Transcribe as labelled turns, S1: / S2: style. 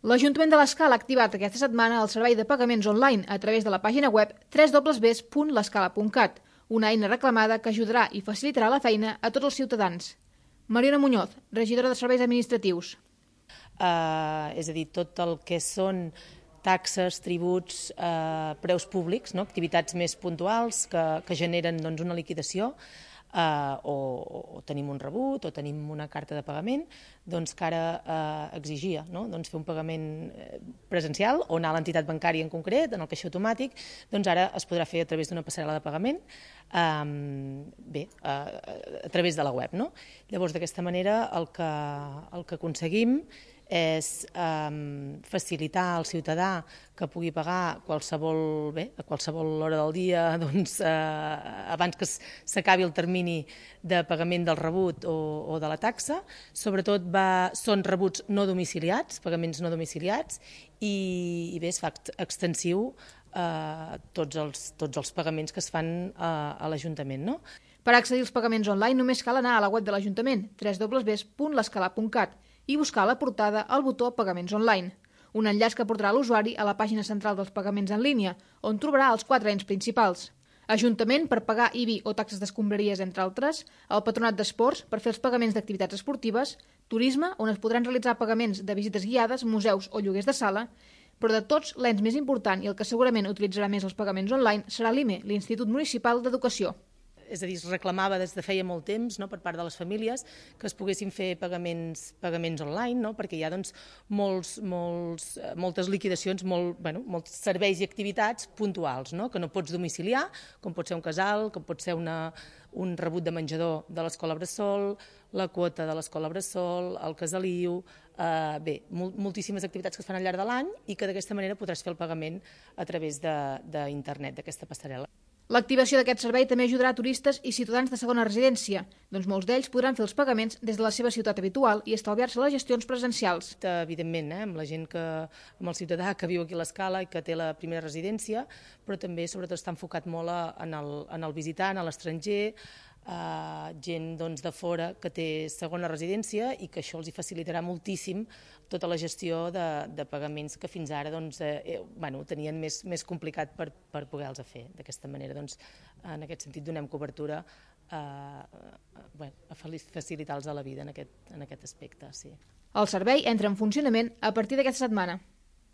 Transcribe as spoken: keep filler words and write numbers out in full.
S1: L'Ajuntament de l'Escala ha activat aquesta setmana el servei de pagaments online a través de la pàgina web w w w punt l'escala punt cat, una eina reclamada que ajudarà i facilitarà la feina a tots els ciutadans. Mariona Muñoz, regidora de Serveis Administratius.
S2: Uh, és a dir, tot el que són taxes, tributs, uh, preus públics, no? Activitats més puntuals que, que generen doncs, una liquidació, Uh, o, o tenim un rebut o tenim una carta de pagament, doncs que ara uh, exigia, no? doncs fer un pagament presencial o anar a l'entitat bancària en concret, en el caixer automàtic, doncs ara es podrà fer a través d'una passarel·la de pagament, um, bé, uh, a través de la web. No? Llavors, d'aquesta manera, el que, el que aconseguim és um, facilitar al ciutadà que pugui pagar qualsevol, bé, a qualsevol hora del dia, doncs, uh, abans que s'acabi el termini de pagament del rebut o, o de la taxa. Sobretot va, són rebuts no domiciliats, pagaments no domiciliats, i, i bé, es fa extensiu a uh, tots, els, tots els pagaments que es fan uh, a l'Ajuntament. No?
S1: Per accedir als pagaments online només cal anar a la web de l'Ajuntament, w w w punt l'escala punt cat, i buscar a la portada el botó Pagaments online, un enllaç que portarà l'usuari a la pàgina central dels pagaments en línia, on trobarà els quatre ens principals. Ajuntament per pagar I B I o taxes d'escombraries, entre altres, el Patronat d'Esports per fer els pagaments d'activitats esportives, Turisme, on es podran realitzar pagaments de visites guiades, museus o lloguers de sala, però de tots l'ens més important i el que segurament utilitzarà més els pagaments online serà l'I M E, l'Institut Municipal d'Educació.
S2: És a dir, es reclamava des de feia molt temps, no, per part de les famílies que es poguessin fer pagaments, pagaments online, no, perquè hi ha doncs, molts, molts, moltes liquidacions, molt, bueno, molts serveis i activitats puntuals, no, que no pots domiciliar, com pot ser un casal, com pot ser una, un rebut de menjador de l'escola Bressol, la quota de l'escola Bressol, el casaliu, eh, bé, moltíssimes activitats que es fan al llarg de l'any i que d'aquesta manera podràs fer el pagament a través d'internet, d'aquesta passarel·la.
S1: L'activació d'aquest servei també ajudarà a turistes i ciutadans de segona residència, doncs molts d'ells podran fer els pagaments des de la seva ciutat habitual i estalviar-se les gestions presencials.
S2: Evidentment, eh, amb la gent que, amb el ciutadà que viu aquí a l'Escala i que té la primera residència, però també sobretot està enfocat molt en el, en el visitant, a l'estranger, Uh, gent doncs, de fora que té segona residència i que això els hi facilitarà moltíssim tota la gestió de, de pagaments que fins ara doncs, eh, bueno, tenien més, més complicat per, per poder-los fer. D'aquesta manera, doncs, en aquest sentit, donem cobertura a, a, bueno, a facilitar-los la vida en aquest, en aquest aspecte. Sí.
S1: El servei entra en funcionament a partir d'aquesta setmana.